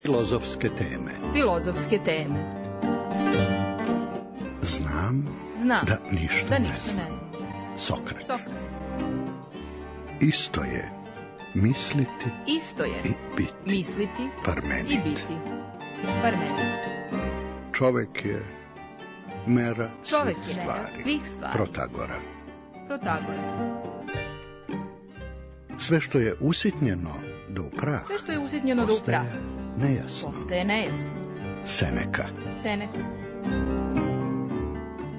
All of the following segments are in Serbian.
Filozofske teme. Filozofske teme. Znam da ništa ne znam. Sokrat. Isto je misliti i biti. Misliti Parmenid. i biti. Parmenid. Čovek je mera svih stvari. Protagora. Sve što je usitnjeno do prah postaje nejasno. Seneka.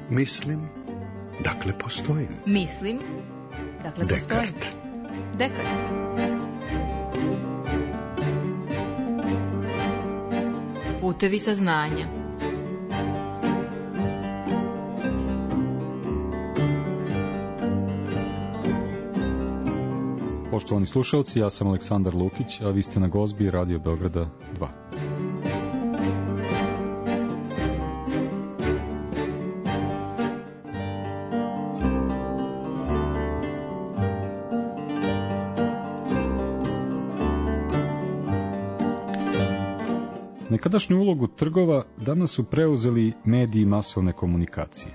Mislim, dakle postojim. Dekart. Putevi saznanja. Poštovani slušalci, ja sam Aleksandar Lukić, a vi ste na Gozbi Radio Beograda 2. Nekadašnju ulogu trgova danas su preuzeli mediji masovne komunikacije.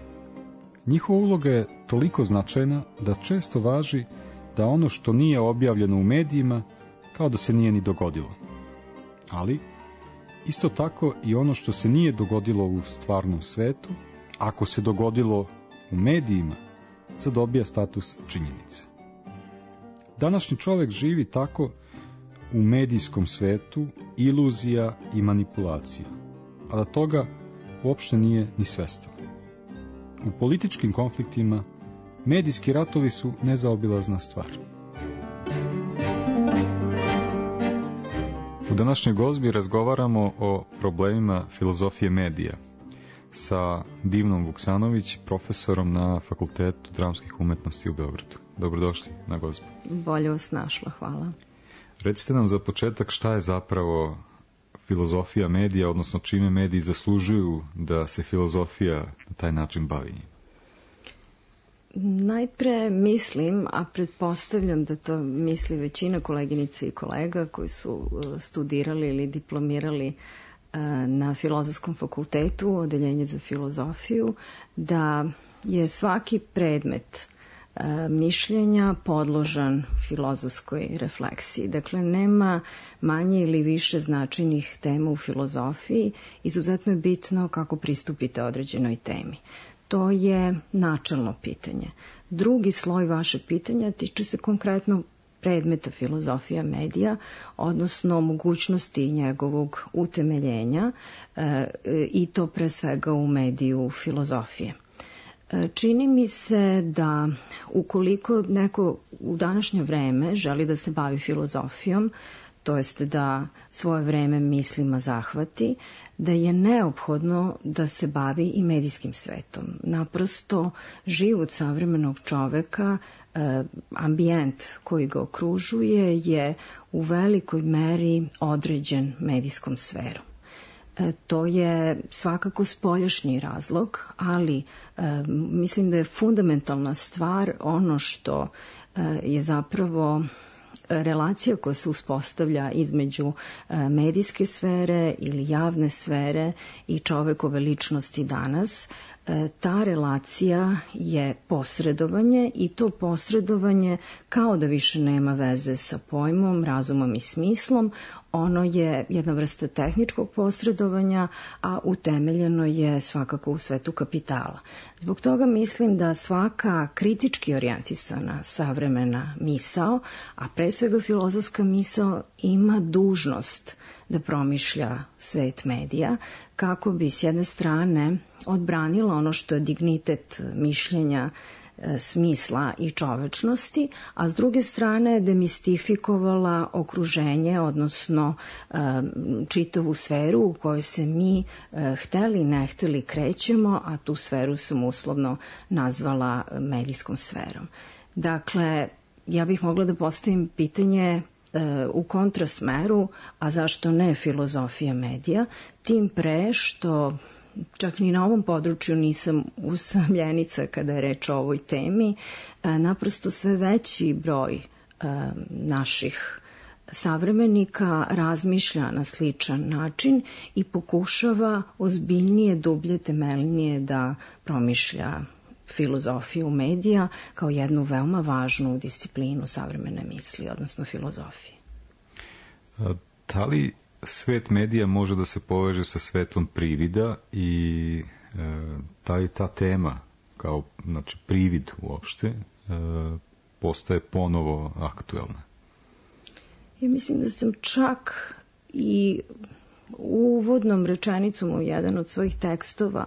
Njihova uloga je toliko značajna da često važi da ono što nije objavljeno u medijima kao da se nije ni dogodilo. Ali, isto tako i ono što se nije dogodilo u stvarnom svetu, ako se dogodilo u medijima, zadobija status činjenice. Današnji čovek živi tako u medijskom svetu iluzija i manipulacija, a da toga uopšte nije ni svestan. U političkim konfliktima medijski ratovi su nezaobilazna stvar. U današnjoj Gozbi razgovaramo o problemima filozofije medija sa Divnom Vuksanović, profesorom na Fakultetu dramskih umetnosti u Beogradu. Dobrodošli na Gozbu. Bolje vas našla, hvala. Recite nam za početak šta je zapravo filozofija medija, odnosno čime mediji zaslužuju da se filozofija na taj način bavi? Najpre mislim, a pretpostavljam da to misli većina koleginica i kolega koji su studirali ili diplomirali na Filozofskom fakultetu, odeljenje za filozofiju, da je svaki predmet mišljenja podložan filozofskoj refleksiji. Dakle, nema manje ili više značajnih tema u filozofiji. Izuzetno je bitno kako pristupite određenoj temi. To je načelno pitanje. Drugi sloj vaše pitanja tiče se konkretno predmeta filozofija medija, odnosno mogućnosti njegovog utemeljenja i to pre svega u mediju filozofije. Čini mi se da ukoliko neko u današnje vreme želi da se bavi filozofijom, to jest da svoje vreme mislima zahvati, da je neophodno da se bavi i medijskim svetom. Naprosto, život savremenog čoveka, ambijent koji ga okružuje je u velikoj meri određen medijskom sferom. To je svakako spoljašnji razlog, ali mislim da je fundamentalna stvar ono što je zapravo relacija koja se uspostavlja između medijske sfere ili javne sfere i čovekove ličnosti danas. Ta relacija je posredovanje i to posredovanje kao da više nema veze sa pojmom, razumom i smislom. Ono je jedna vrsta tehničkog posredovanja, a utemeljeno je svakako u svetu kapitala. Zbog toga mislim da svaka kritički orijentisana savremena misao, a pre svega filozofska misao, ima dužnost da promišlja svet medija kako bi s jedne strane odbranila ono što je dignitet mišljenja, smisla i čovečnosti, a s druge strane demistifikovala okruženje, odnosno čitavu sferu u kojoj se mi hteli ne hteli krećemo, a tu sferu sam uslovno nazvala medijskom sferom. Dakle, ja bih mogla da postavim pitanje u kontrasmeru, a zašto ne filozofija medija, tim pre što čak ni na ovom području nisam usamljenica kada je reč o ovoj temi, naprosto sve veći broj naših savremenika razmišlja na sličan način i pokušava ozbiljnije, dublje, temeljnije da promišlja filozofiju medija kao jednu veoma važnu disciplinu savremene misli, odnosno filozofije. Da li svet medija može da se poveže sa svetom privida i da li ta tema kao privid uopšte postaje ponovo aktuelna? Ja mislim da sam čak i uvodnom rečenicom u jedan od svojih tekstova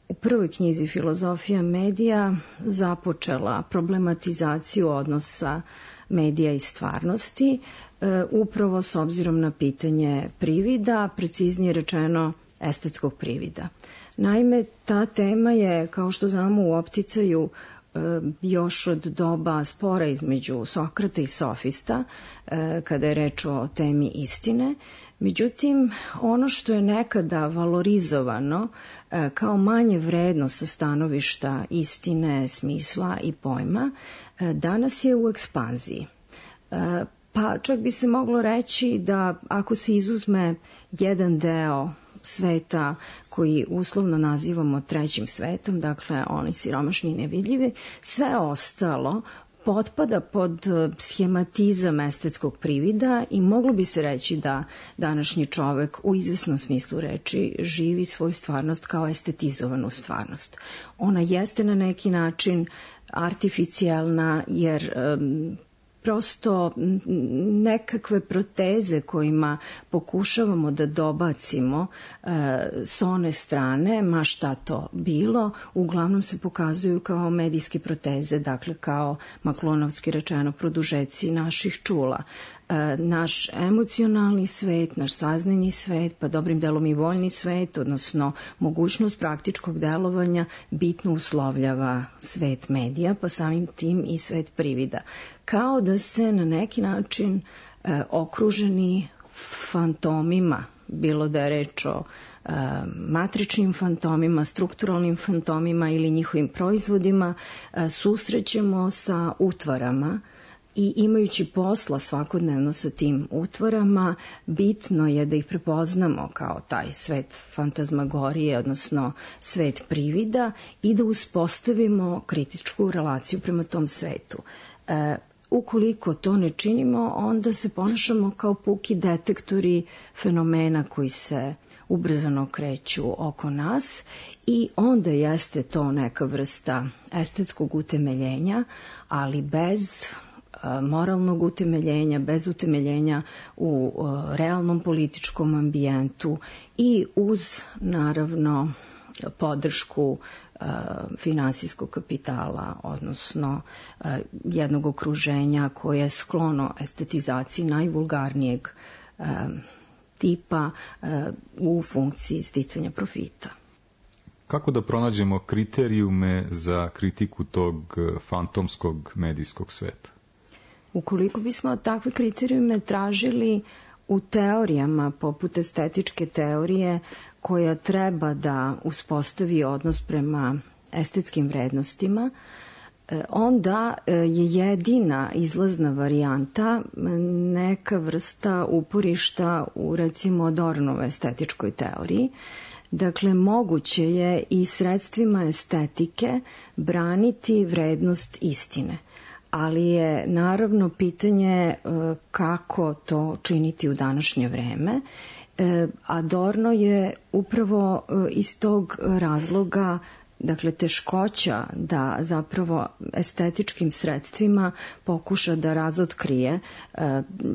u prvoj knjizi Filozofija medija započela problematizaciju odnosa medija i stvarnosti, upravo s obzirom na pitanje privida, preciznije rečeno estetskog privida. Naime, ta tema je, kao što znamo, u opticaju još od doba spora između Sokrata i sofista, kada je reč o temi istine. Međutim, ono što je nekada valorizovano kao manje vredno sa stanovišta istine, smisla i pojma, danas je u ekspanziji. Pa čak bi se moglo reći da ako se izuzme jedan deo sveta koji uslovno nazivamo trećim svetom, dakle oni siromašni i nevidljivi, sve ostalo potpada pod schematizam estetskog privida i moglo bi se reći da današnji čovek u izvesnom smislu reči živi svoju stvarnost kao estetizovanu stvarnost. Ona jeste na neki način artificijalna jer prosto nekakve proteze kojima pokušavamo da dobacimo s one strane, ma šta to bilo, uglavnom se pokazuju kao medijske proteze, dakle kao maklonovski rečeno produžeci naših čula. Naš emocionalni svet, naš saznajni svet, pa dobrim delom i voljni svet, odnosno mogućnost praktičkog delovanja bitno uslovljava svet medija, pa samim tim i svet privida. Kao da se na neki način okruženi fantomima, bilo da je reč o matričnim fantomima, strukturalnim fantomima ili njihovim proizvodima, susrećemo sa utvarama i imajući posla svakodnevno sa tim utvarama, bitno je da ih prepoznamo kao taj svet fantazmagorije, odnosno svet privida i da uspostavimo kritičku relaciju prema tom svetu. Ukoliko to ne činimo, onda se ponašamo kao puki detektori fenomena koji se ubrzano kreću oko nas i onda jeste to neka vrsta estetskog utemeljenja, ali bez moralnog utemeljenja, bez utemeljenja u realnom političkom ambijentu i uz, naravno, podršku finansijskog kapitala, odnosno jednog okruženja koje je sklono estetizaciji najvulgarnijeg tipa u funkciji sticanja profita. Kako da pronađemo kriterijume za kritiku tog fantomskog medijskog sveta? Ukoliko bismo takve kriterijume tražili u teorijama poput estetičke teorije koja treba da uspostavi odnos prema estetskim vrednostima, onda je jedina izlazna varijanta neka vrsta uporišta u recimo Adornove estetičkoj teoriji. Dakle, moguće je i sredstvima estetike braniti vrednost istine. Ali je naravno pitanje kako to činiti u današnje vreme. Adorno je upravo iz tog razloga, dakle teškoća da zapravo estetičkim sredstvima pokuša da razotkrije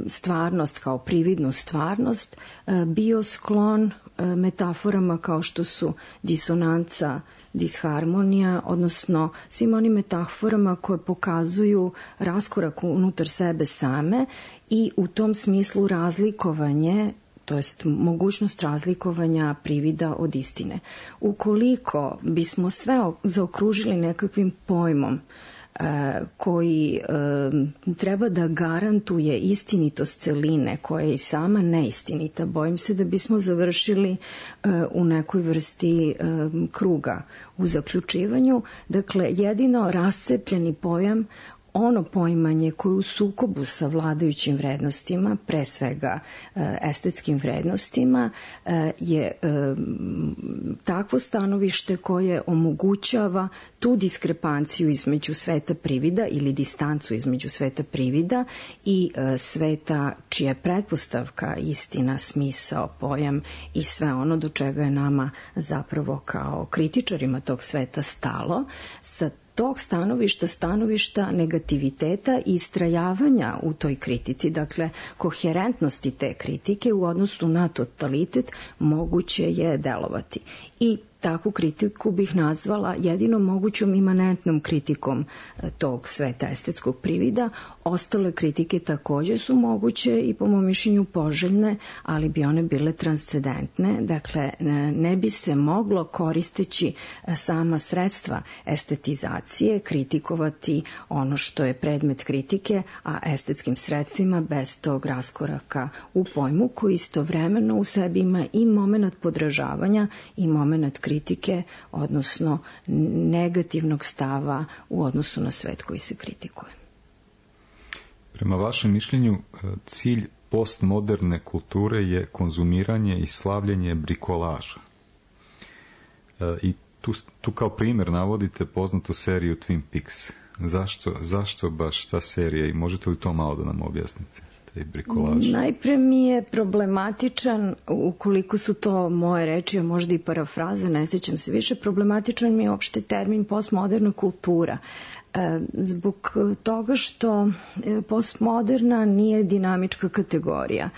stvarnost kao prividnu stvarnost, bio sklon metaforama kao što su disonanca, disharmonija, odnosno svim onim metaforama koje pokazuju raskorak unutar sebe same i u tom smislu razlikovanje, to jest mogućnost razlikovanja privida od istine. Ukoliko bismo sve zaokružili nekakvim pojmom koji treba da garantuje istinitost celine koja je i sama neistinita, bojim se da bismo završili u nekoj vrsti kruga u zaključivanju. Dakle, jedino rascepljeni pojam ono poimanje koje u sukobu sa vladajućim vrednostima, pre svega estetskim vrednostima, je takvo stanovište koje omogućava tu diskrepanciju između sveta privida ili distancu između sveta privida i sveta čija je pretpostavka, istina, smisao, pojam i sve ono do čega je nama zapravo kao kritičarima tog sveta stalo. Sa tog stanovišta negativiteta i istrajavanja u toj kritici, dakle koherentnosti te kritike u odnosu na totalitet, moguće je delovati. I takvu kritiku bih nazvala jedino mogućom imanentnom kritikom tog sveta estetskog privida. Ostale kritike takođe su moguće i po mom mišljenju poželjne, ali bi one bile transcendentne. Dakle, ne bi se moglo koristeći sama sredstva estetizacije kritikovati ono što je predmet kritike, a estetskim sredstvima bez tog raskoraka u pojmu koji istovremeno u sebi ima i moment podražavanja i moment kritike, odnosno negativnog stava u odnosu na svet koji se kritikuje. Prema vašem mišljenju, cilj postmoderne kulture je konzumiranje i slavljenje brikolaža. I tu kao primjer navodite poznatu seriju Twin Peaks. Zašto baš ta serija i možete li to malo da nam objasnite? Najpre mi je problematičan, ukoliko su to moje reči, a možda i parafraze, ne sjećam se više, problematičan mi je opšte termin postmoderna kultura. Zbog toga što postmoderna nije dinamička kategorija,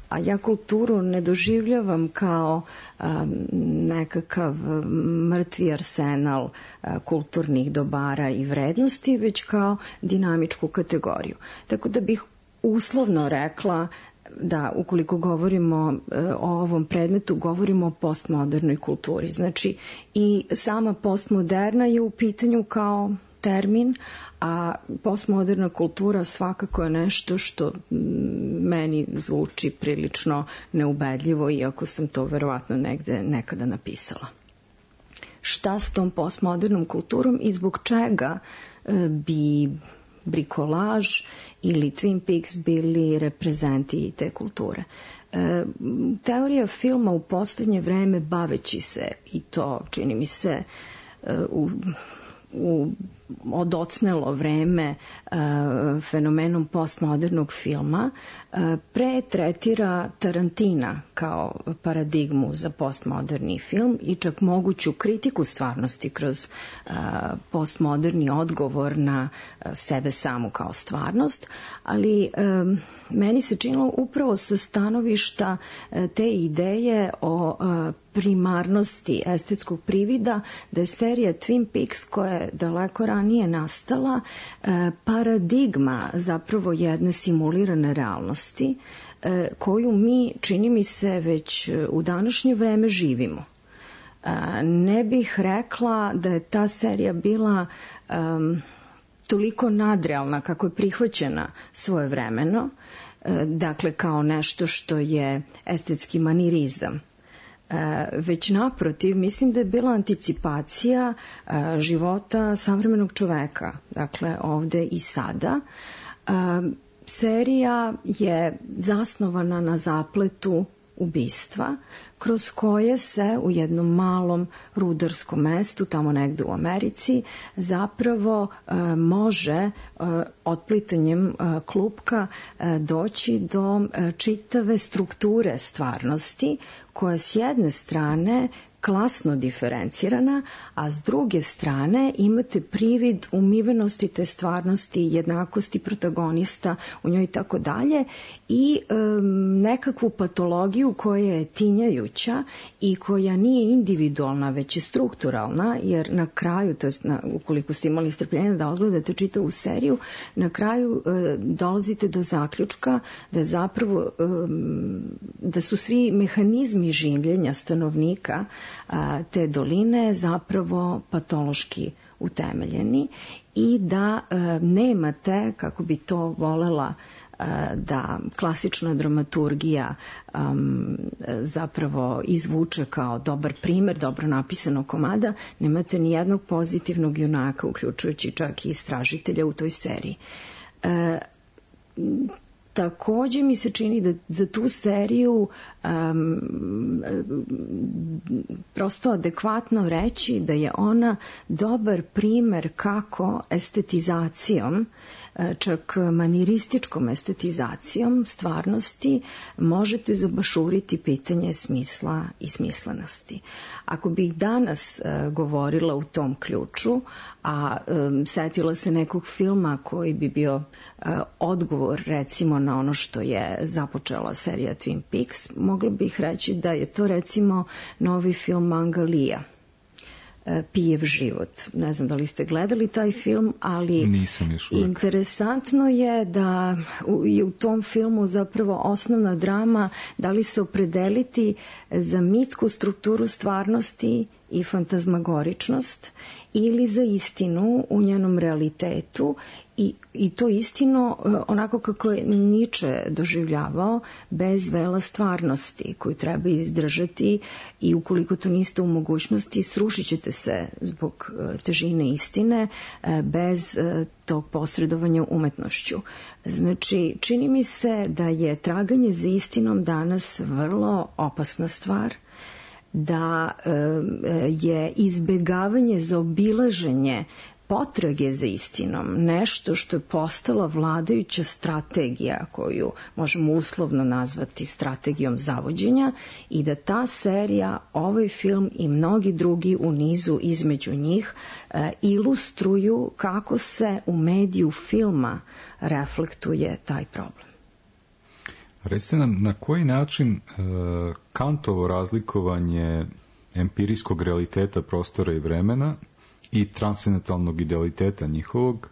a ja kulturu ne doživljavam kao nekakav mrtvi arsenal kulturnih dobara i vrednosti, već kao dinamičku kategoriju. Tako da bih uslovno rekla da ukoliko govorimo o ovom predmetu, govorimo o postmodernoj kulturi. Znači i sama postmoderna je u pitanju kao termin, a postmoderna kultura svakako je nešto što meni zvuči prilično neubedljivo, iako sam to verovatno negde nekada napisala. Šta s tom postmodernom kulturom i zbog čega bi brikolaž ili Twin Peaks bili reprezenti te kulture? Teorija filma u poslednje vreme, baveći se, i to čini mi se u odocnelo vreme fenomenom postmodernog filma, pretretira Tarantina kao paradigmu za postmoderni film i čak moguću kritiku stvarnosti kroz postmoderni odgovor na sebe samu kao stvarnost, ali meni se činilo upravo sa stanovišta te ideje o primarnosti estetskog privida da je serija Twin Peaks, koja je daleko ranije nastala, paradigma zapravo jedne simulirane realnosti koju mi, čini mi se, već u današnje vreme živimo. Ne bih rekla da je ta serija bila toliko nadrealna kako je prihvaćena svojevremeno, dakle kao nešto što je estetski manirizam. Već naprotiv, mislim da je bila anticipacija života savremenog čoveka, dakle ovde i sada. Serija je zasnovana na zapletu ubistva, kroz koje se u jednom malom rudarskom mestu, tamo negde u Americi, zapravo može otplitanjem klupka doći do čitave strukture stvarnosti, koja s jedne strane klasno diferencirana, a s druge strane imate privid umivenosti te stvarnosti, jednakosti protagonista u njoj i tako dalje, i nekakvu patologiju koja je tinjajuća i koja nije individualna, već je strukturalna, jer na kraju, to jest ukoliko ste imali strpljenja da odgledate čitavu seriju, na kraju dolazite do zaključka da je zapravo da su svi mehanizmi življenja stanovnika te doline zapravo patološki utemeljeni i da nemate, kako bi to volela da klasična dramaturgija zapravo izvuče kao dobar primer, dobro napisanog komada, nemate ni jednog pozitivnog junaka, uključujući čak i istražitelja u toj seriji. Takođe mi se čini da za tu seriju prosto adekvatno reći da je ona dobar primer kako estetizacijom, čak manirističkom estetizacijom stvarnosti možete zabašuriti pitanje smisla i smislenosti. Ako bih danas govorila u tom ključu, a setila se nekog filma koji bi bio odgovor recimo na ono što je započela serija Twin Peaks, mogla bih reći da je to recimo novi film Mangalija, Pijev život. Ne znam da li ste gledali taj film, ali nisam još uvijek. Interesantno je da je u tom filmu zapravo osnovna drama da li se opredeliti za mitsku strukturu stvarnosti i fantazmagoričnost ili za istinu u njenom realitetu i to istino onako kako je Nietzsche doživljavao, bez vela stvarnosti koju treba izdržati i ukoliko to niste u mogućnosti srušit ćete se zbog težine istine bez tog posredovanja umetnošću. Znači, čini mi se da je traganje za istinom danas vrlo opasna stvar, da je izbegavanje, zaobilaženje potrage za istinom nešto što je postala vladajuća strategija koju možemo uslovno nazvati strategijom zavođenja i da ta serija, ovaj film i mnogi drugi u nizu između njih ilustruju kako se u mediju filma reflektuje taj problem. Recite nam, na koji način Kantovo razlikovanje empirijskog realiteta prostora i vremena i transcendentalnog idealiteta njihovog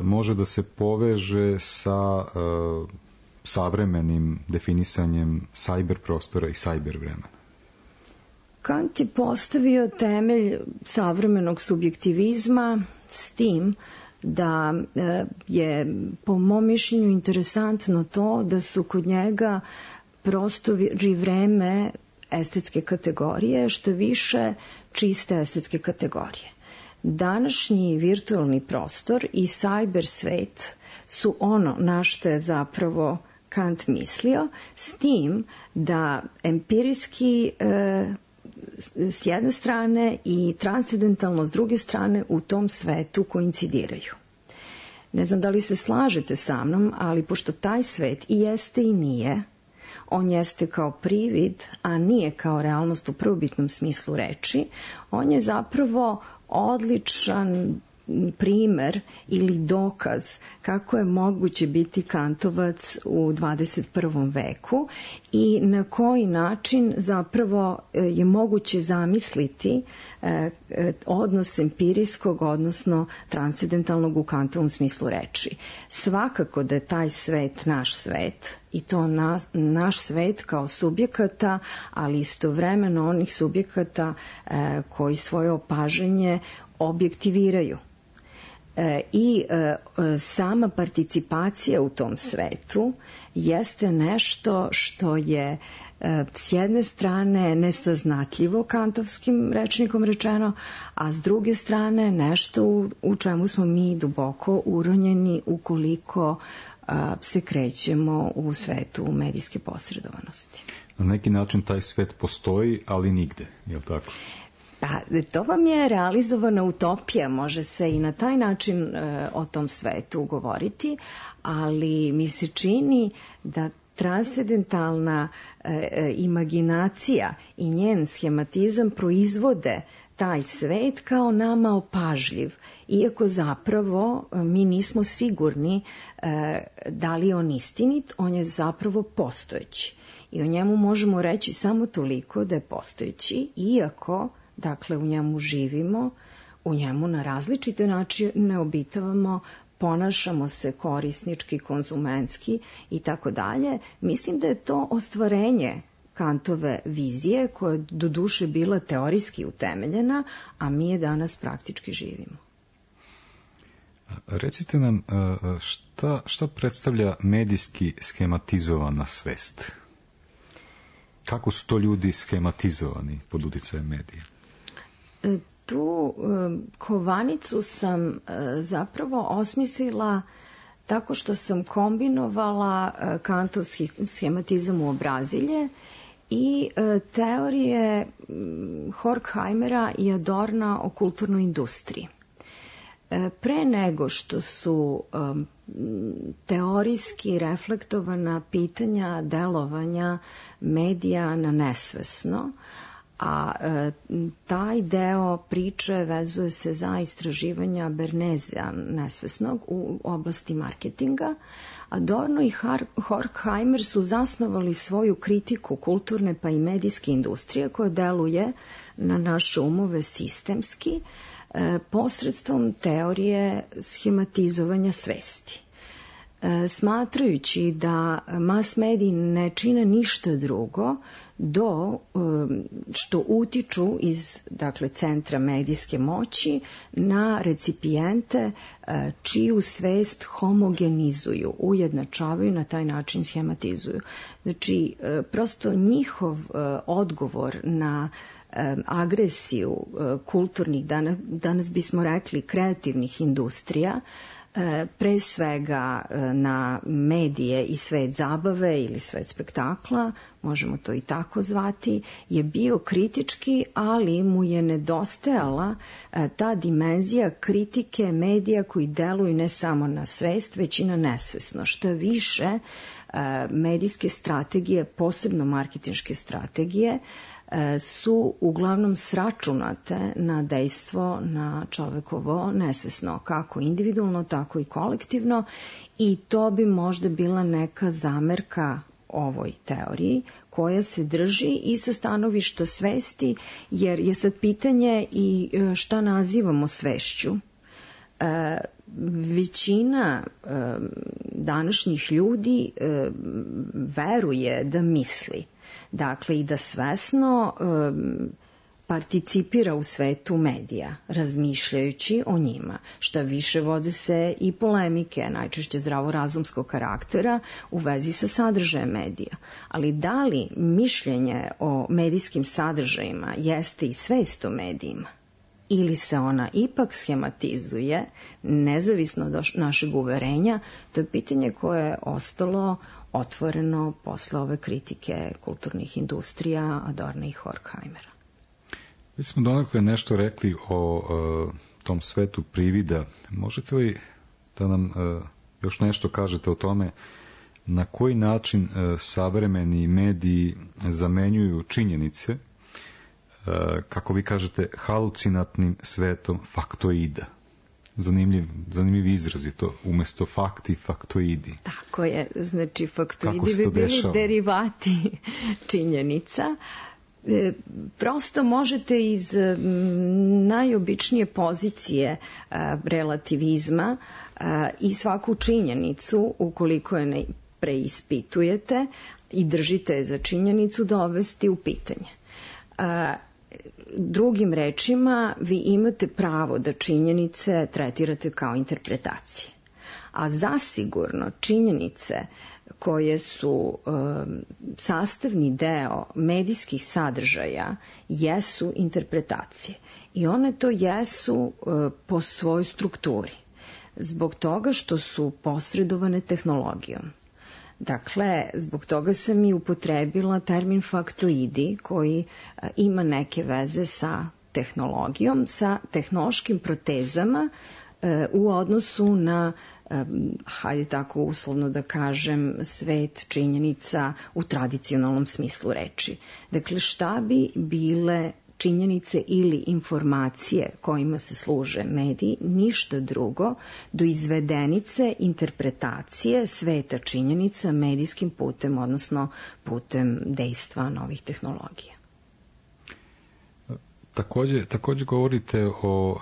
može da se poveže sa savremenim definisanjem cyber prostora i cyber vremena? Kant je postavio temelj savremenog subjektivizma s tim da je po mom mišljenju interesantno to da su kod njega prostor i vreme estetske kategorije, što više čiste estetske kategorije. Današnji virtualni prostor i cyber svet su ono na što je zapravo Kant mislio, s tim da empirijski s jedne strane i transcendentalno s druge strane u tom svetu koincidiraju. Ne znam da li se slažete sa mnom, ali pošto taj svet i jeste i nije, on jeste kao privid, a nije kao realnost u prvobitnom smislu reči, on je zapravo odličan primer ili dokaz kako je moguće biti kantovac u 21. veku i na koji način zapravo je moguće zamisliti odnos empirijskog, odnosno transcendentalnog u Kantovom smislu reči. Svakako da je taj svet naš svet i to naš svet kao subjekata, ali istovremeno onih subjekata koji svoje opažanje objektiviraju. I sama participacija u tom svetu jeste nešto što je s jedne strane nesaznatljivo kantovskim rečnikom rečeno, a s druge strane nešto u čemu smo mi duboko uronjeni ukoliko se krećemo u svetu medijske posredovanosti. Na neki način taj svet postoji, ali nigde, je li tako? Pa, to vam je realizovana utopija, može se i na taj način o tom svetu govoriti, ali mi se čini da transcendentalna imaginacija i njen schematizam proizvode taj svet kao nama opažljiv, iako zapravo mi nismo sigurni da li je on istinit, on je zapravo postojeći. I o njemu možemo reći samo toliko da je postojeći, iako dakle u njemu živimo, u njemu na različite načine obitavamo, ponašamo se korisnički, konzumentski i tako dalje. Mislim da je to ostvarenje Kantove vizije koja je doduše bila teorijski utemeljena, a mi je danas praktički živimo. Recite nam šta predstavlja medijski schematizovana svest? Kako su to ljudi schematizovani pod uticajem medija? Tu kovanicu sam zapravo osmislila tako što sam kombinovala kantovski schematizam u obrazilje i teorije Horkheimera i Adorna o kulturnoj industriji. Pre nego što su teorijski reflektovana pitanja delovanja medija na nesvesno, a taj deo priče vezuje se za istraživanja Bernezea nesvesnog u oblasti marketinga. Adorno i Horkheimer su zasnovali svoju kritiku kulturne pa i medijske industrije koja deluje na naše umove sistemski posredstvom teorije schematizovanja svesti. Smatrajući da mas mediji ne čine ništa drugo do što utiču iz centra medijske moći na recipijente čiju svest homogenizuju, ujednačavaju, na taj način schematizuju. Znači, prosto njihov odgovor na agresiju kulturnih, danas bismo rekli kreativnih industrija, pre svega na medije i svet zabave ili svet spektakla, možemo to i tako zvati, je bio kritički, ali mu je nedostajala ta dimenzija kritike medija koji deluju ne samo na svest, već i na nesvesno. Šta više, medijske strategije, posebno marketinške strategije, su uglavnom sračunate na dejstvo na čovekovo nesvesno, kako individualno, tako i kolektivno, i to bi možda bila neka zamerka ovoj teoriji koja se drži i sa stanovišta svesti, jer je sad pitanje i šta nazivamo svešću. Većina današnjih ljudi veruje da misli, dakle i da svesno participira u svetu medija, razmišljajući o njima. Šta više, vode se i polemike, najčešće zdravorazumskog karaktera, u vezi sa sadržajem medija. Ali da li mišljenje o medijskim sadržajima jeste i svest o medijima? Ili se ona ipak schematizuje, nezavisno od našeg uverenja, to je pitanje koje je ostalo otvoreno posle ove kritike kulturnih industrija Adorna i Horkheimera. Mi smo donekle nešto rekli o tom svetu privida. Možete li da nam još nešto kažete o tome na koji način savremeni mediji zamenjuju činjenice, kako vi kažete, halucinatnim svetom faktoida? Zanimljiv izraz je to, umesto fakti, faktoidi. Tako je, znači faktoidi bi bili derivati činjenica. Prosto možete iz najobičnije pozicije relativizma i svaku činjenicu, ukoliko je ne preispitujete i držite je za činjenicu, dovesti u pitanje. Drugim rečima, vi imate pravo da činjenice tretirate kao interpretacije. A zasigurno činjenice koje su sastavni deo medijskih sadržaja jesu interpretacije. I one to jesu po svojoj strukturi. Zbog toga što su posredovane tehnologijom. Dakle, zbog toga sam i upotrebila termin faktoidi koji ima neke veze sa tehnologijom, sa tehnološkim protezama u odnosu na, hajde tako uslovno da kažem, svet činjenica u tradicionalnom smislu reči. Dakle, šta bi bile činjenice ili informacije kojima se služe mediji, ništa drugo do izvedenice interpretacije sveta činjenica medijskim putem, odnosno putem dejstva novih tehnologija. Takođe govorite o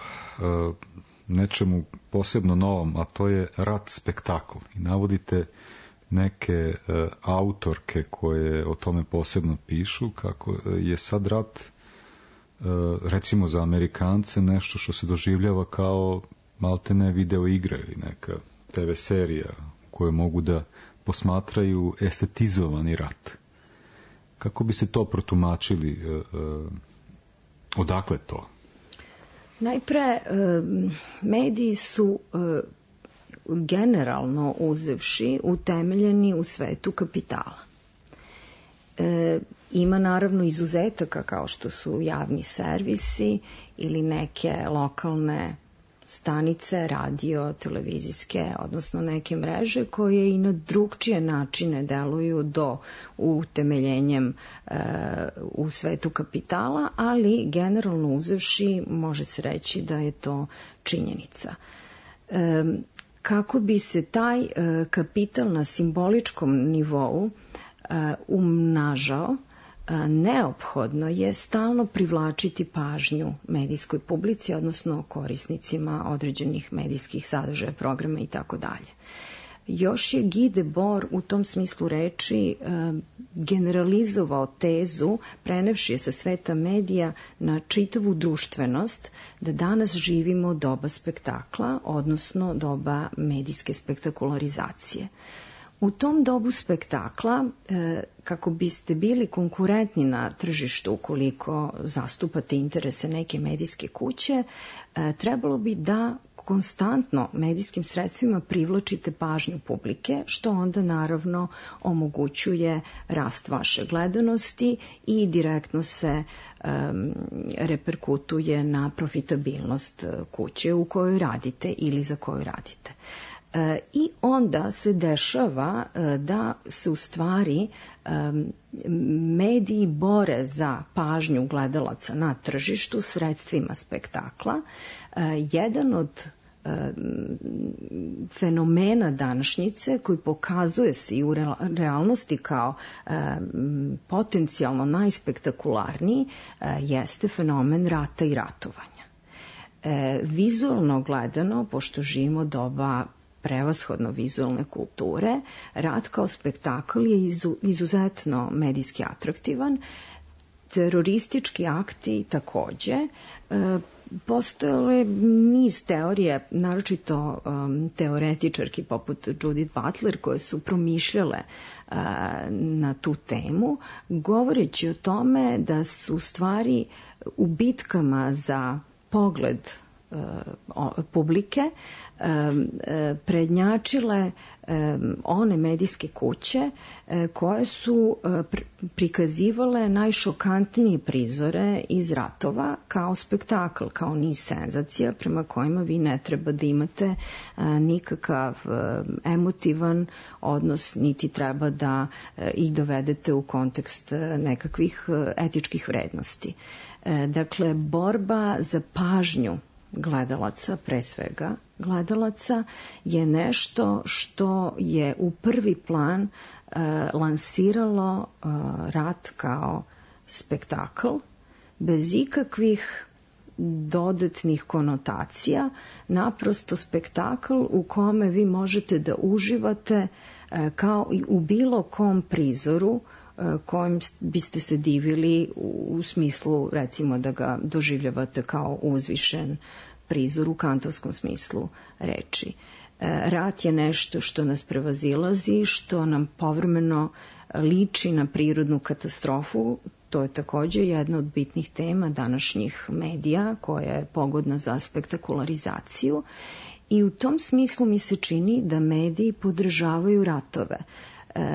nečemu posebno novom, a to je rat spektakl. I navodite neke autorke koje o tome posebno pišu, kako je sad rat recimo za Amerikance nešto što se doživljava kao maltene video igre ili neka TV serija koje mogu da posmatraju estetizovani rat. Kako bi se to protumačili? Odakle to? Najpre, mediji su generalno uzevši utemeljeni u svetu kapitala. Ima naravno izuzetaka kao što su javni servisi ili neke lokalne stanice, radio, televizijske, odnosno neke mreže koje i na drugčije načine deluju do utemeljenjem u svetu kapitala, ali generalno uzevši može se reći da je to činjenica. Kako bi se taj kapital na simboličkom nivou umnažao, neophodno je stalno privlačiti pažnju medijskoj publici, odnosno korisnicima određenih medijskih sadržaja, programa i tako dalje. Još je Guy Debord u tom smislu reči generalizovao tezu, prenevši je sa sveta medija na čitavu društvenost, da danas živimo doba spektakla, odnosno doba medijske spektakularizacije. U tom dobu spektakla, kako biste bili konkurentni na tržištu ukoliko zastupate interese neke medijske kuće, trebalo bi da konstantno medijskim sredstvima privlačite pažnju publike, što onda naravno omogućuje rast vaše gledanosti i direktno se reperkutuje na profitabilnost kuće u kojoj radite ili za koju radite. I onda se dešava da se u stvari mediji bore za pažnju gledalaca na tržištu sredstvima spektakla. Jedan od fenomena današnjice koji pokazuje se i u realnosti kao potencijalno najspektakularniji jeste fenomen rata i ratovanja. Vizualno gledano, pošto živimo doba prevashodno vizualne kulture, rat kao spektakl je izuzetno medijski atraktivan, teroristički akti takođe. Postojale niz teorije, naročito teoretičarki poput Judith Butler, koje su promišljale na tu temu, govoreći o tome da su u stvari u bitkama za pogled publike prednjačile one medijske kuće koje su prikazivale najšokantnije prizore iz ratova kao spektakl, kao niz senzacija prema kojima vi ne treba da imate nikakav emotivan odnos, niti treba da ih dovedete u kontekst nekakvih etičkih vrednosti. Dakle, borba za pažnju gledalaca, pre svega gledalaca, je nešto što je u prvi plan lansiralo rat kao spektakl, bez ikakvih dodatnih konotacija, naprosto spektakl u kome vi možete da uživate kao i u bilo kom prizoru kojim biste se divili u smislu, recimo, da ga doživljavate kao uzvišen prizor u kantovskom smislu reči. Rat je nešto što nas prevazilazi, što nam povremeno liči na prirodnu katastrofu. To je takođe jedna od bitnih tema današnjih medija koja je pogodna za spektakularizaciju i u tom smislu mi se čini da mediji podržavaju ratove.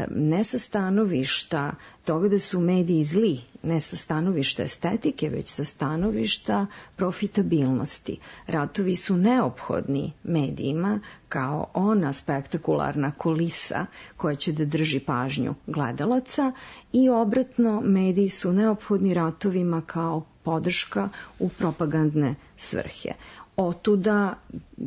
Ne sa stanovišta toga da su mediji zli, ne sa stanovišta estetike, već sa stanovišta profitabilnosti. Ratovi su neophodni medijima kao ona spektakularna kulisa koja će da drži pažnju gledalaca i obratno mediji su neophodni ratovima kao podrška u propagandne svrhe. Otuda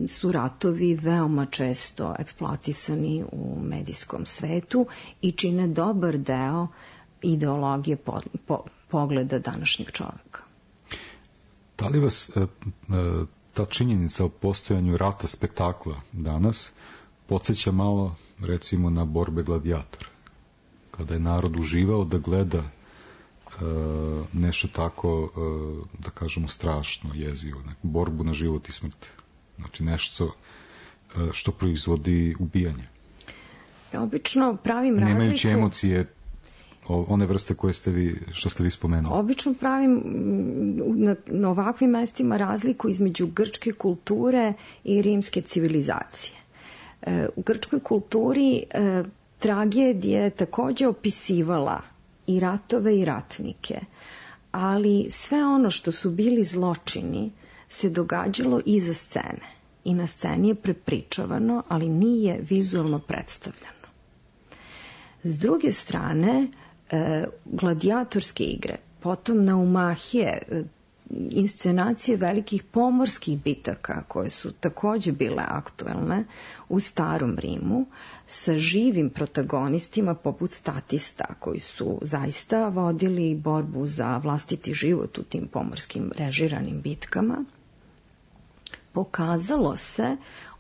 su ratovi veoma često eksploatisani u medijskom svetu i čine dobar deo ideologije pogleda današnjeg čoveka. Da li vas ta činjenica o postojanju rata spektakla danas podsjeća malo, recimo, na borbe gladijatora? Kada je narod uživao da gleda nešto tako, da kažemo, strašno, jezivo, borbu na život i smrt. znači nešto što proizvodi ubijanje. Obično pravim razliku... Nemajući emocije, one vrste što ste vi spomenuli. Obično pravim na ovakvim mestima razliku između grčke kulture i rimske civilizacije. U grčkoj kulturi tragedija je takođe opisivala i ratove i ratnike, ali sve ono što su bili zločini se događalo iza scene i na sceni je prepričavano, ali nije vizualno predstavljeno. S druge strane, gladijatorske igre, potom naumahije, inscenacije velikih pomorskih bitaka koje su takođe bile aktuelne u starom Rimu sa živim protagonistima poput statista koji su zaista vodili borbu za vlastiti život u tim pomorskim režiranim bitkama, pokazalo se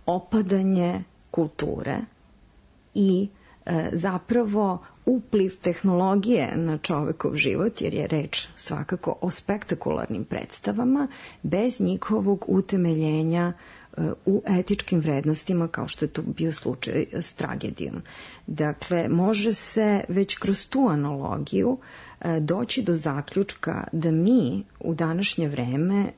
opadanje kulture i zapravo upliv tehnologije na čovekov život, jer je reč svakako o spektakularnim predstavama, bez njihovog utemeljenja u etičkim vrednostima, kao što je to bio slučaj s tragedijom. Dakle, može se već kroz tu analogiju doći do zaključka da mi u današnje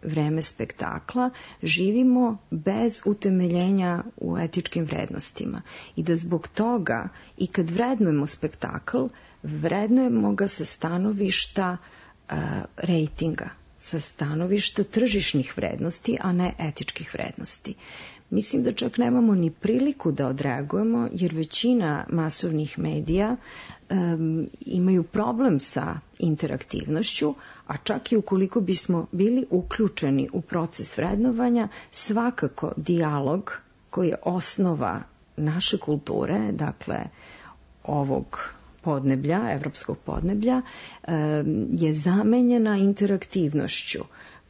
vreme spektakla, živimo bez utemeljenja u etičkim vrednostima i da zbog toga i kad vrednujemo spektakl, vrednujemo ga sa stanovišta rejtinga, sa stanovišta tržišnih vrednosti, a ne etičkih vrednosti. Mislim da čak nemamo ni priliku da odreagujemo, jer većina masovnih medija imaju problem sa interaktivnošću, a čak i ukoliko bismo bili uključeni u proces vrednovanja, svakako dijalog koji je osnova naše kulture, dakle ovog podneblja, evropskog podneblja, je zamenjena interaktivnošću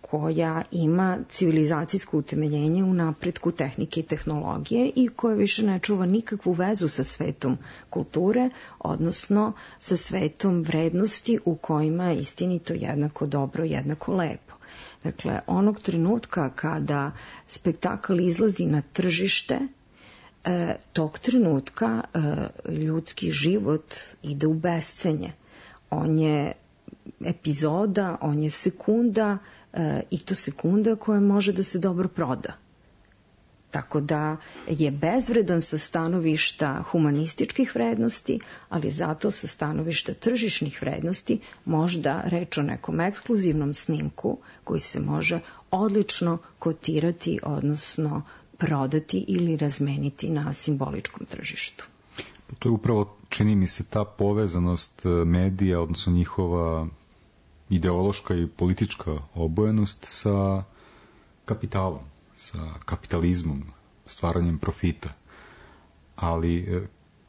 koja ima civilizacijsko utemeljenje u napretku tehnike i tehnologije i koja više ne čuva nikakvu vezu sa svetom kulture, odnosno sa svetom vrednosti u kojima je istinito jednako dobro, jednako lepo. Dakle, onog trenutka kada spektakl izlazi na tržište, tog trenutka ljudski život ide u bescenje. On je epizoda, on je sekunda, i to sekunda koja može da se dobro proda. Tako da je bezvredan sa stanovišta humanističkih vrednosti, ali zato sa stanovišta tržišnih vrednosti možda reč o nekom ekskluzivnom snimku koji se može odlično kotirati, odnosno prodati ili razmeniti na simboličkom tržištu. To je upravo, čini mi se, ta povezanost medija, odnosno njihova ideološka i politička obojenost sa kapitalom, sa kapitalizmom, stvaranjem profita. Ali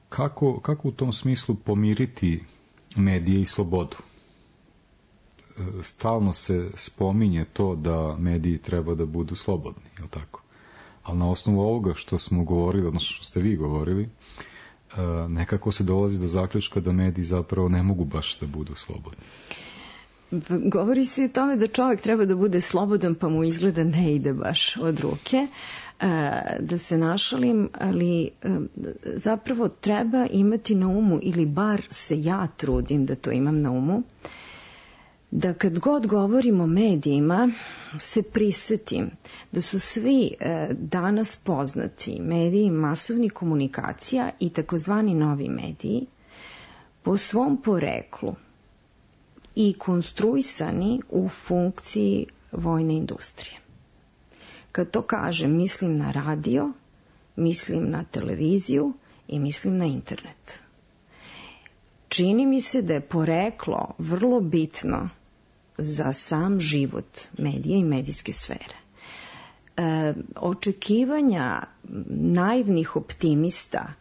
kako u tom smislu pomiriti medije i slobodu? Stalno se spominje to da mediji treba da budu slobodni, je li tako? Ali na osnovu ovoga što smo govorili, odnosno što ste vi govorili, nekako se dolazi do zaključka da mediji zapravo ne mogu baš da budu slobodni. Govori se o tome da čovjek treba da bude slobodan, pa mu izgleda ne ide baš od ruke. Da se našalim, ali zapravo treba imati na umu, ili bar se ja trudim da to imam na umu, da kad god govorim o medijima se prisetim da su svi danas poznati mediji masovnih komunikacija i takozvani novi mediji po svom poreklu i konstruisani u funkciji vojne industrije. Kad to kažem, mislim na radio, mislim na televiziju i mislim na internet. Čini mi se da je poreklo vrlo bitno za sam život medija i medijske sfere. Očekivanja naivnih optimista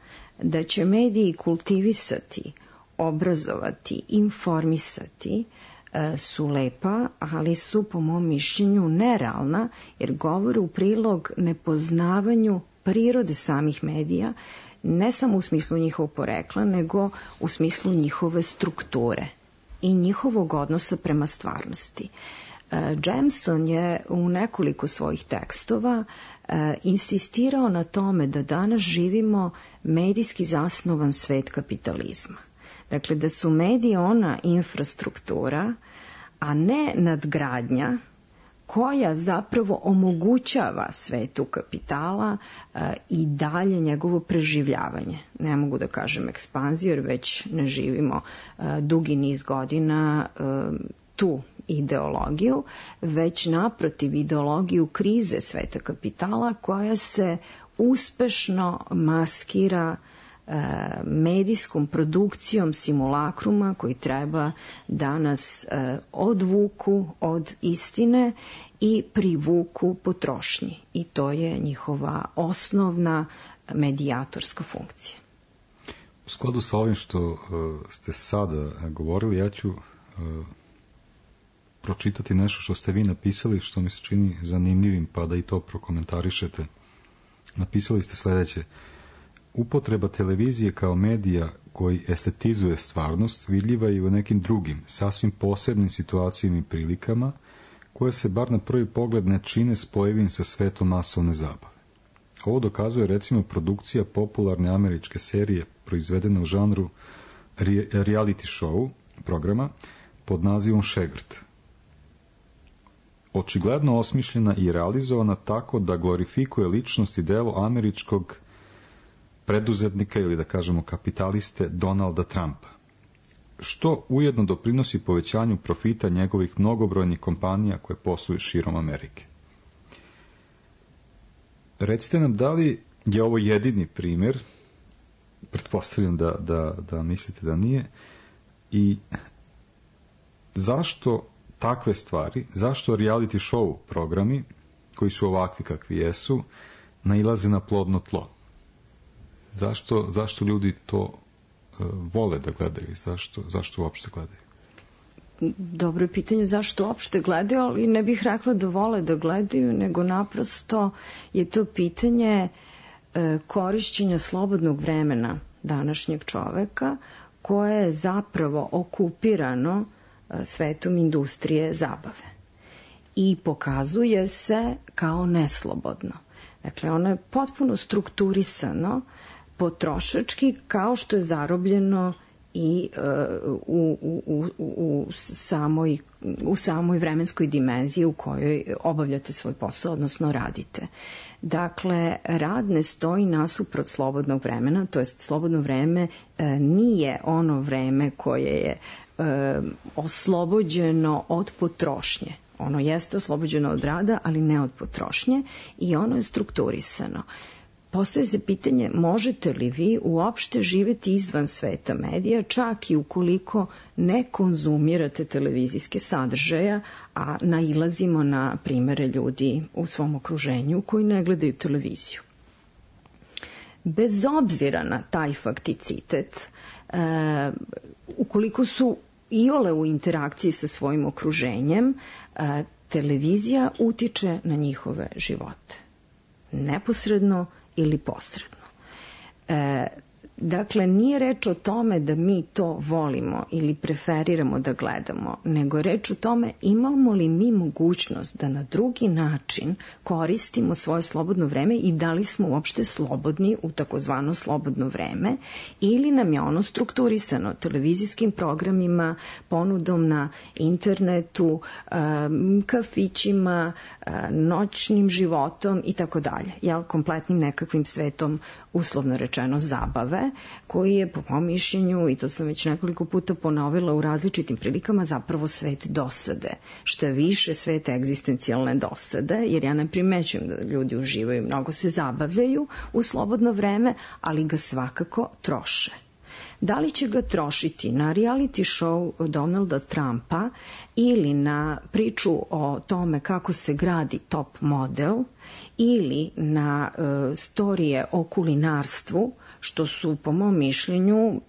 da će mediji kultivisati, obrazovati, informisati su lepa, ali su po mom mišljenju nerealna, jer govore u prilog nepoznavanju prirode samih medija, ne samo u smislu njihovog porekla, nego u smislu njihove strukture i njihovog odnosa prema stvarnosti. Jameson je u nekoliko svojih tekstova insistirao na tome da danas živimo medijski zasnovan svet kapitalizma. Dakle, da su mediji ona infrastruktura, a ne nadgradnja koja zapravo omogućava svetu kapitala i dalje njegovo preživljavanje. Ne mogu da kažem ekspanziju, jer već ne živimo dugi niz godina tu ideologiju, već naprotiv ideologiju krize sveta kapitala koja se uspešno maskira medijskom produkcijom simulakruma koji treba da nas odvuku od istine i privuku potrošnji. I to je njihova osnovna medijatorska funkcija. U skladu sa ovim što ste sada govorili, ja ću pročitati nešto što ste vi napisali, što mi se čini zanimljivim, pa da i to prokomentarišete. Napisali ste sledeće: upotreba televizije kao medija koji estetizuje stvarnost vidljiva je u nekim drugim, sasvim posebnim situacijama i prilikama, koje se bar na prvi pogled ne čine spojivim sa svetom masovne zabave. Ovo dokazuje recimo produkcija popularne američke serije proizvedene u žanru reality show programa pod nazivom Šegrt. Očigledno osmišljena i realizovana tako da glorifikuje ličnost i delo američkog preduzetnika ili da kažemo kapitaliste Donalda Trumpa, što ujedno doprinosi povećanju profita njegovih mnogobrojnih kompanija koje posluju širom Amerike. Recite nam, da li je ovo jedini primjer, pretpostavljam da mislite da nije, i zašto takve stvari, zašto reality show programi, koji su ovakvi kakvi jesu, nailaze na plodno tlo? Zašto ljudi to vole da gledaju? Zašto uopšte gledaju? Dobro je pitanje zašto uopšte gledaju, ali ne bih rekla da vole da gledaju, nego naprosto je to pitanje korišćenja slobodnog vremena današnjeg čoveka, koje je zapravo okupirano svetom industrije zabave. I pokazuje se kao neslobodno. Dakle, ono je potpuno strukturisano potrošački, kao što je zarobljeno i u samoj vremenskoj dimenziji u kojoj obavljate svoj posao, odnosno radite. Dakle, rad ne stoji nasuprot slobodnog vremena, to jest slobodno vreme nije ono vreme koje je oslobođeno od potrošnje. Ono jeste oslobođeno od rada, ali ne od potrošnje, i ono je strukturisano. Postavlja se pitanje, možete li vi uopšte živeti izvan sveta medija, čak i ukoliko ne konzumirate televizijske sadržaja, a nailazimo na primere ljudi u svom okruženju koji ne gledaju televiziju. Bez obzira na taj fakticitet, ukoliko su iole u interakciji sa svojim okruženjem, televizija utiče na njihove živote. Neposredno ili posredno. Dakle, nije reč o tome da mi to volimo ili preferiramo da gledamo, nego reč o tome imamo li mi mogućnost da na drugi način koristimo svoje slobodno vreme i da li smo uopšte slobodni u takozvano slobodno vreme, ili nam je ono strukturisano televizijskim programima, ponudom na internetu, kafićima, noćnim životom i tako dalje. Kompletnim nekakvim svetom, uslovno rečeno, zabave, koji je, po mom mišljenju, i to sam već nekoliko puta ponovila u različitim prilikama, zapravo svet dosade. Što je više, svet egzistencijalne dosade, jer ja ne primećujem da ljudi uživaju, mnogo se zabavljaju u slobodno vreme, ali ga svakako troše. Da li će ga trošiti na reality show Donalda Trumpa ili na priču o tome kako se gradi top model ili na storije o kulinarstvu, što su, po mom mišljenju,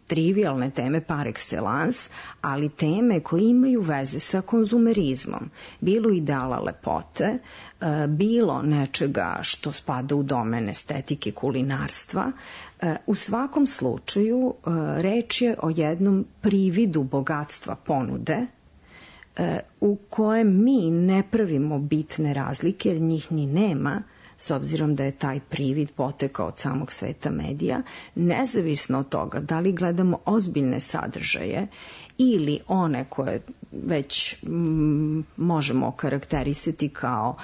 trivialne teme par excellence, ali teme koje imaju veze sa konzumerizmom. Bilo ideala lepote, bilo nečega što spada u domen estetike kulinarstva. U svakom slučaju reč je o jednom prividu bogatstva ponude u kojem mi ne pravimo bitne razlike, jer njih ni nema, s obzirom da je taj privid potekao od samog sveta medija, nezavisno od toga da li gledamo ozbiljne sadržaje ili one koje već možemo karakterisati kao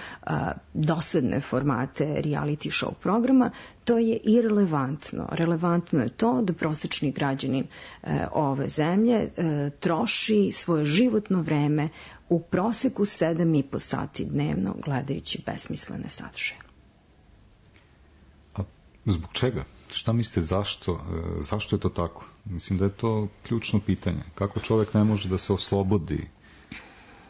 dosadne formate reality show programa, to je irelevantno. Relevantno je to da prosečni građanin ove zemlje troši svoje životno vreme u proseku 7,5 sati dnevno gledajući besmislene sadržaje. A zbog čega? Šta mislite zašto je to tako? Mislim da je to ključno pitanje. Kako čovjek ne može da se oslobodi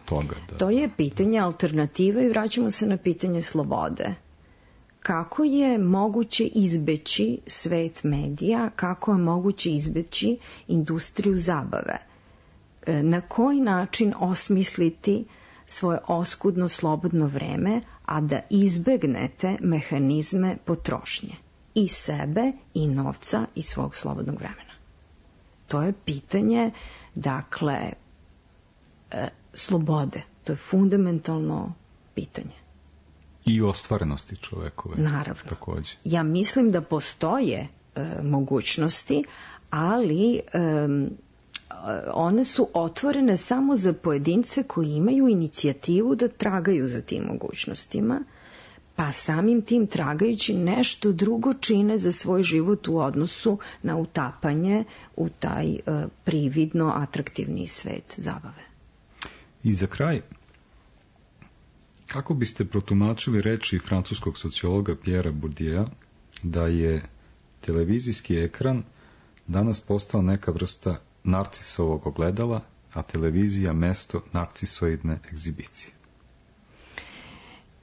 toga? To je pitanje alternative i vraćamo se na pitanje slobode. Kako je moguće izbeći svet medija, kako je moguće izbeći industriju zabave? Na koji način osmisliti svoje oskudno slobodno vreme, a da izbegnete mehanizme potrošnje i sebe i novca i svog slobodnog vremena? To je pitanje, dakle, slobode. To je fundamentalno pitanje. I ostvarenosti čovekove. Naravno. Takođe. Ja mislim da postoje mogućnosti, ali one su otvorene samo za pojedince koji imaju inicijativu da tragaju za tim mogućnostima, pa samim tim tragajući nešto drugo čine za svoj život u odnosu na utapanje u taj prividno atraktivni svet zabave. I za kraj, kako biste protumačili reči francuskog sociologa Pierre Bourdieu da je televizijski ekran danas postao neka vrsta narcisovog ogledala, a televizija mesto narcisoidne egzibicije?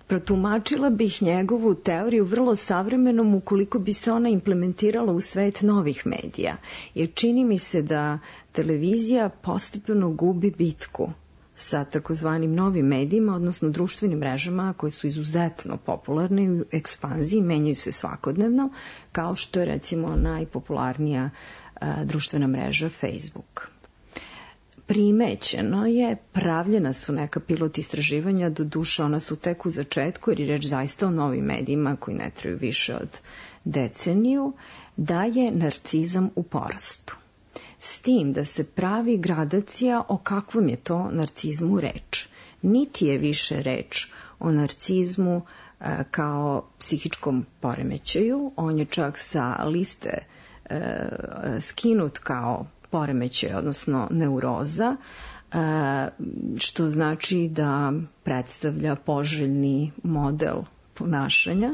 Protumačila bih njegovu teoriju vrlo savremenom ukoliko bi se ona implementirala u svet novih medija, jer čini mi se da televizija postepeno gubi bitku sa takozvanim novim medijima, odnosno društvenim mrežama koje su izuzetno popularne u ekspanziji, menjaju se svakodnevno, kao što je recimo najpopularnija društvena mreža Facebook. Primećeno je, pravljena su neka pilot istraživanja, doduše ona su tek u začetku, jer je reč zaista o novim medijima koji ne traju više od deceniju, da je narcizam u porastu. S tim da se pravi gradacija o kakvom je to narcizmu reč. Niti je više reč o narcizmu kao psihičkom poremećaju, on je čak sa liste skinut kao poremećaj, odnosno neuroza, što znači da predstavlja poželjni model ponašanja.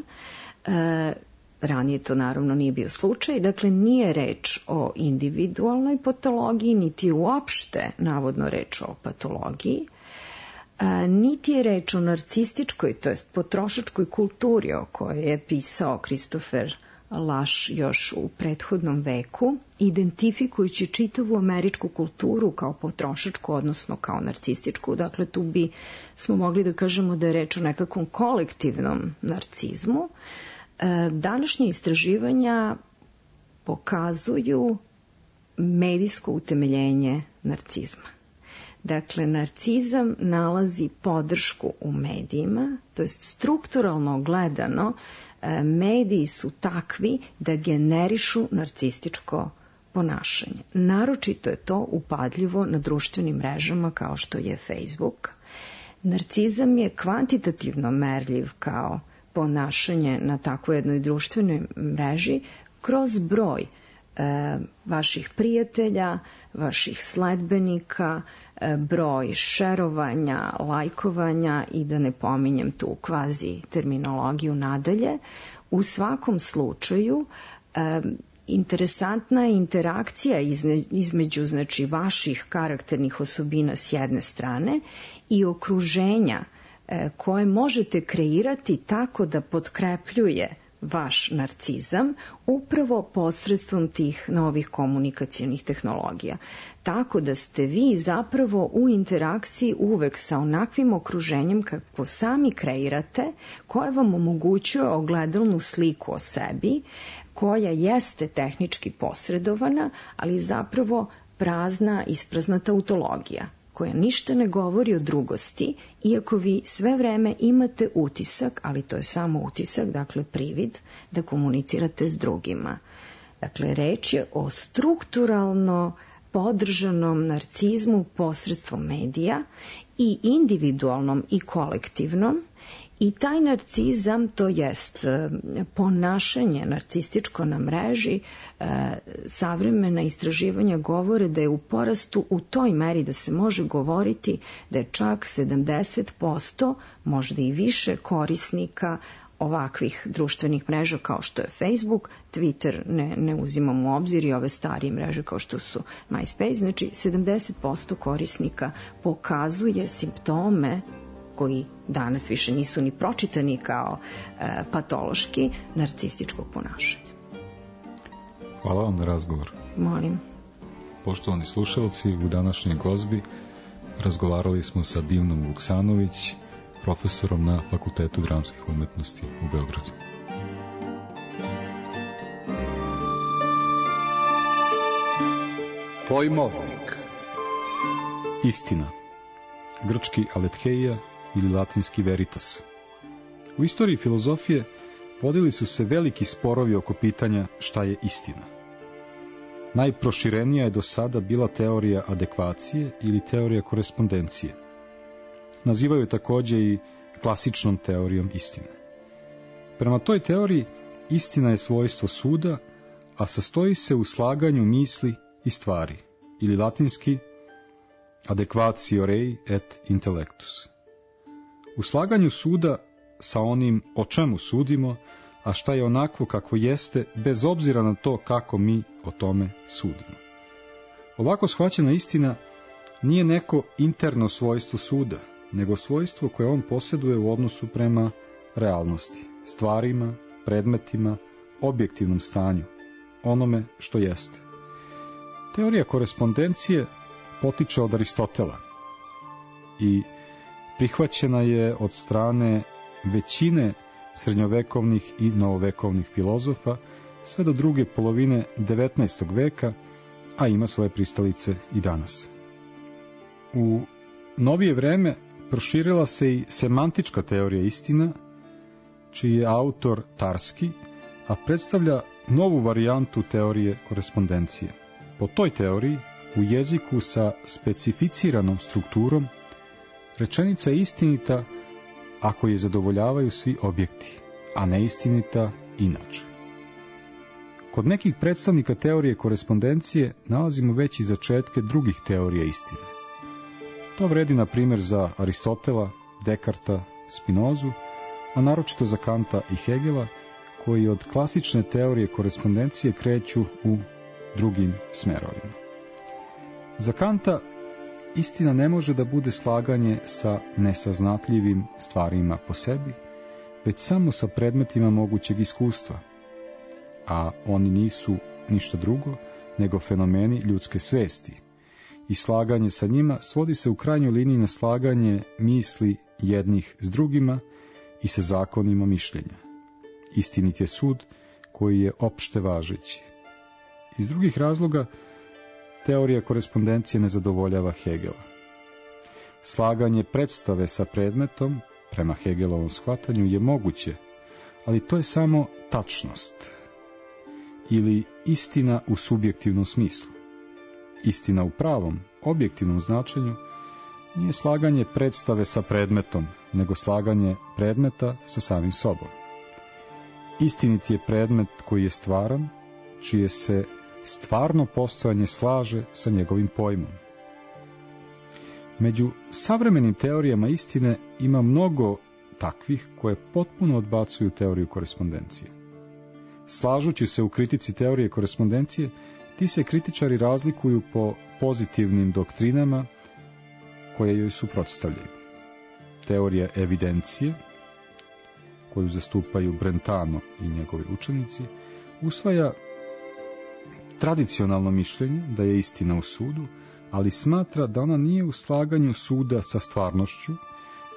Ranije to naravno nije bio slučaj, dakle nije reč o individualnoj patologiji, niti uopšte navodno reč o patologiji, niti je reč o narcističkoj, to jest potrošačkoj kulturi o kojoj je pisao Christopher Lasch još u prethodnom veku, identifikujući čitavu američku kulturu kao potrošačku, odnosno kao narcističku. Dakle, tu smo mogli da kažemo da je reč o nekakvom kolektivnom narcizmu. Današnje istraživanja pokazuju medijsko utemeljenje narcizma. Dakle, narcizam nalazi podršku u medijima, to jest strukturalno gledano, mediji su takvi da generišu narcističko ponašanje. Naročito je to upadljivo na društvenim mrežama kao što je Facebook. Narcizam je kvantitativno merljiv kao ponašanje na takvoj jednoj društvenoj mreži kroz broj vaših prijatelja, vaših sledbenika, broj šerovanja, lajkovanja i da ne pominjem tu kvazi terminologiju nadalje. U svakom slučaju interesantna je interakcija između znači vaših karakternih osobina s jedne strane i okruženja koje možete kreirati tako da potkrepljuje vaš narcizam upravo posredstvom tih novih komunikacionih tehnologija. Tako da ste vi zapravo u interakciji uvek sa onakvim okruženjem kako sami kreirate, koje vam omogućuje ogledalnu sliku o sebi, koja jeste tehnički posredovana, ali zapravo prazna, ispraznata tautologija, koja ništa ne govori o drugosti, iako vi sve vreme imate utisak, ali to je samo utisak, dakle privid, da komunicirate s drugima. Dakle, reč je o strukturalno podržanom narcizmu posredstvom medija i individualnom i kolektivnom, i taj narcizam, to jest ponašanje narcističko na mreži, savremena istraživanja govore da je u porastu u toj meri da se može govoriti da je čak 70%, možda i više korisnika ovakvih društvenih mreža kao što je Facebook, Twitter ne uzimamo u obzir i ove starije mreže kao što su MySpace, znači 70% korisnika pokazuje simptome koji danas više nisu ni pročitani kao patološki, narcističkog ponašanja. Hvala vam na razgovor. Molim. Poštovani slušalci, u današnjoj gozbi razgovarali smo sa Divnom Vuksanović, profesorom na Fakultetu dramskih umetnosti u Beogradu. Pojmovnik. Istina. Grčki aletheia ili latinski veritas. U istoriji filozofije vodili su se veliki sporovi oko pitanja šta je istina. Najproširenija je do sada bila teorija adekvacije ili teorija korespondencije. Nazivaju takođe i klasičnom teorijom istine. Prema toj teoriji, istina je svojstvo suda, a sastoji se u slaganju misli i stvari, ili latinski adequatio rei et intellectus. U slaganju suda sa onim o čemu sudimo, a šta je onakvo kako jeste, bez obzira na to kako mi o tome sudimo. Ovako shvaćena istina nije neko interno svojstvo suda, nego svojstvo koje on posjeduje u odnosu prema realnosti, stvarima, predmetima, objektivnom stanju, onome što jeste. Teorija korespondencije potiče od Aristotela i prihvaćena je od strane većine srednjovekovnih i novovekovnih filozofa sve do druge polovine 19. veka, a ima svoje pristalice i danas. U novije vreme proširila se i semantička teorija istina, čiji je autor Tarski, a predstavlja novu varijantu teorije korespondencije. Po toj teoriji, u jeziku sa specificiranom strukturom, rečenica je istinita ako je zadovoljavaju svi objekti, a neistinita inače. Kod nekih predstavnika teorije korespondencije nalazimo već i začetke drugih teorija istine. To vredi na primjer za Aristotela, Dekarta, Spinozu, a naročito za Kanta i Hegela, koji od klasične teorije korespondencije kreću u drugim smerovima. Za Kanta istina ne može da bude slaganje sa nesaznatljivim stvarima po sebi, već samo sa predmetima mogućeg iskustva, a oni nisu ništa drugo nego fenomeni ljudske svesti, i slaganje sa njima svodi se u krajnjoj liniji na slaganje misli jednih s drugima i sa zakonima mišljenja. Istinit je sud koji je opšte važeći. Iz drugih razloga teorija korespondencije ne zadovoljava Hegela. Slaganje predstave sa predmetom, prema Hegelovom shvatanju, je moguće, ali to je samo tačnost ili istina u subjektivnom smislu. Istina u pravom, objektivnom značenju nije slaganje predstave sa predmetom, nego slaganje predmeta sa samim sobom. Istinit je predmet koji je stvaran, čije se stvarno postojanje slaže sa njegovim pojmom. Među savremenim teorijama istine ima mnogo takvih koje potpuno odbacuju teoriju korespondencije. Slažući se u kritici teorije korespondencije, ti se kritičari razlikuju po pozitivnim doktrinama koje joj suprotstavljaju. Teorija evidencije, koju zastupaju Brentano i njegovi učenici, usvaja tradicionalno mišljenje da je istina u sudu, ali smatra da ona nije u slaganju suda sa stvarnošću,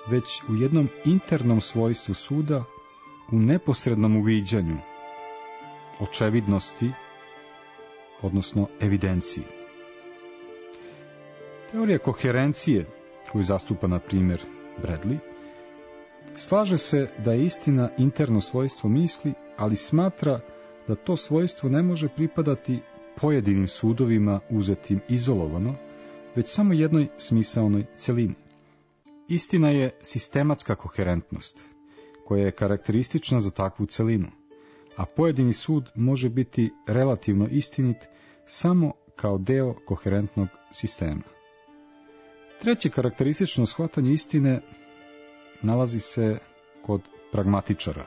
već u jednom internom svojstvu suda, u neposrednom uviđanju, očevidnosti, odnosno evidenciji. Teorija koherencije, koju zastupa, na primjer, Bradley, slaže se da je istina interno svojstvo misli, ali smatra da to svojstvo ne može pripadati pojedinim sudovima uzetim izolovano, već samo jednoj smisaonoj celini. Istina je sistematska koherentnost, koja je karakteristična za takvu celinu, a pojedini sud može biti relativno istinit samo kao deo koherentnog sistema. Treće karakteristično shvatanje istine nalazi se kod pragmatičara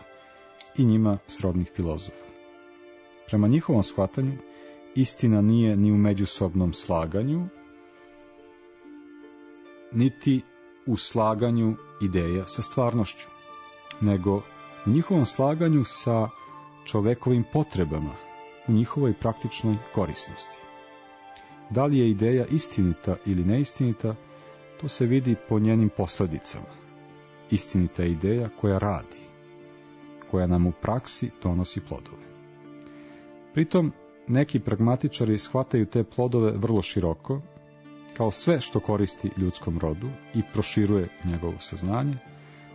i njima srodnih filozofa. Prema njihovom shvatanju, istina nije ni u međusobnom slaganju, niti u slaganju ideja sa stvarnošću, nego u njihovom slaganju sa čovekovim potrebama, u njihovoj praktičnoj korisnosti. Da li je ideja istinita ili neistinita, to se vidi po njenim posledicama. Istinita je ideja koja radi, koja nam u praksi donosi plodove. Pritom, neki pragmatičari shvataju te plodove vrlo široko, kao sve što koristi ljudskom rodu i proširuje njegovo saznanje,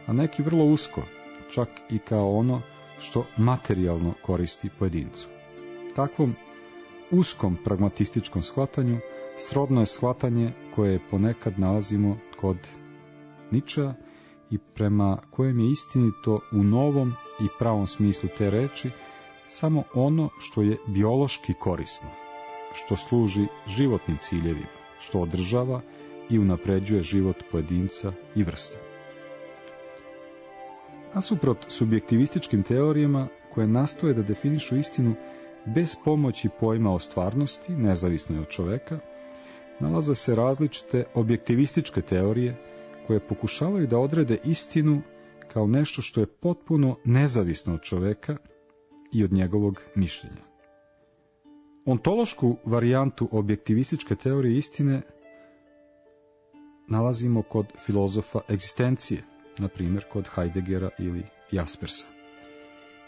a neki vrlo usko, čak i kao ono što materijalno koristi pojedincu. Takvom uskom pragmatističkom shvatanju srodno je shvatanje koje ponekad nalazimo kod Ničea i prema kojem je istinito u novom i pravom smislu te reči samo ono što je biološki korisno, što služi životnim ciljevima, što održava i unapređuje život pojedinca i vrste. Nasuprot subjektivističkim teorijama koje nastoje da definišu istinu bez pomoći pojma o stvarnosti, nezavisno od čoveka, nalaze se različite objektivističke teorije koje pokušavaju da odrede istinu kao nešto što je potpuno nezavisno od čoveka i od njegovog mišljenja. Ontološku varijantu objektivističke teorije istine nalazimo kod filozofa egzistencije, na primjer kod Heideggera ili Jaspersa.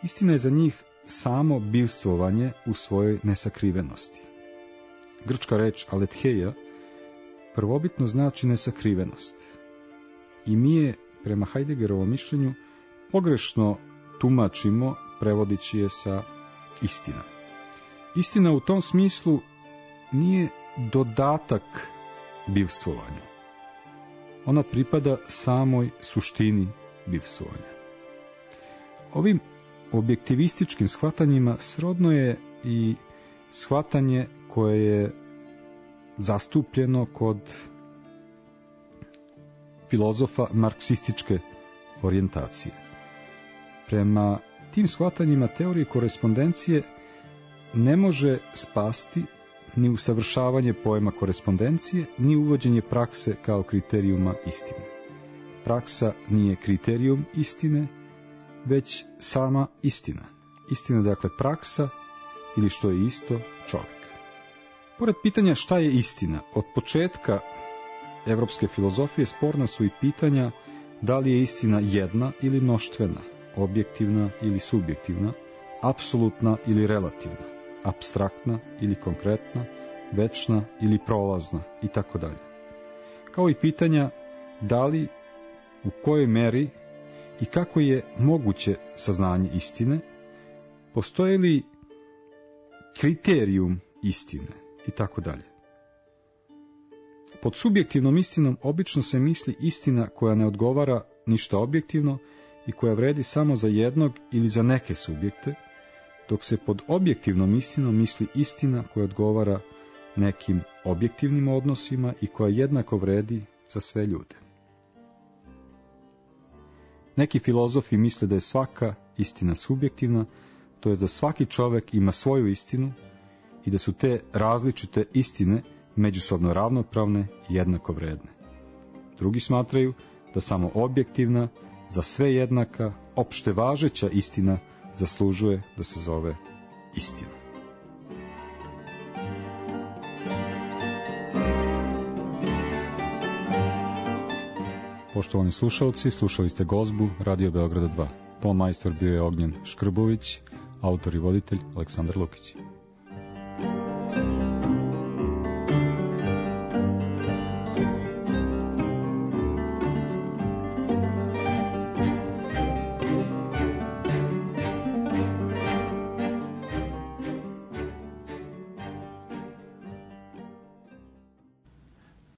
Istina je za njih samo bivstvovanje u svojoj nesakrivenosti. Grčka reč aletheia prvobitno znači nesakrivenost. I mi je, prema Heideggerovom mišljenju, pogrešno tumačimo prevodići je sa istina. Istina u tom smislu nije dodatak bivstvovanju. Ona pripada samoj suštini bivstvovanja. Ovim objektivističkim shvatanjima srodno je i shvatanje koje je zastupljeno kod filozofa marksističke orijentacije. Prema tim shvatanjima teorije korespondencije ne može spasti ni usavršavanje pojma korespondencije, ni uvođenje prakse kao kriterijuma istine. Praksa nije kriterijum istine, već sama istina. Istina je dakle praksa ili što je isto čovjek. Pored pitanja šta je istina, od početka evropske filozofije sporna su i pitanja da li je istina jedna ili mnoštvena, objektivna ili subjektivna, apsolutna ili relativna, apstraktna ili konkretna, večna ili prolazna itd. Kao i pitanja da li, u kojoj meri i kako je moguće saznanje istine, postoji li kriterijum istine itd. Pod subjektivnom istinom obično se misli istina koja ne odgovara ništa objektivno i koja vredi samo za jednog ili za neke subjekte, dok se pod objektivnom istinom misli istina koja odgovara nekim objektivnim odnosima i koja jednako vredi za sve ljude. Neki filozofi misle da je svaka istina subjektivna, to jest da svaki čovjek ima svoju istinu i da su te različite istine međusobno ravnopravne i jednako vredne. Drugi smatraju da samo objektivna, za sve jednaka, opšte važeća istina zaslužuje da se zove istina. Poštovani slušalci, slušali ste Gozbu Radio Beograda 2. Ton majstor bio je Ognjen Škrbović, autor i voditelj Aleksandar Lukić.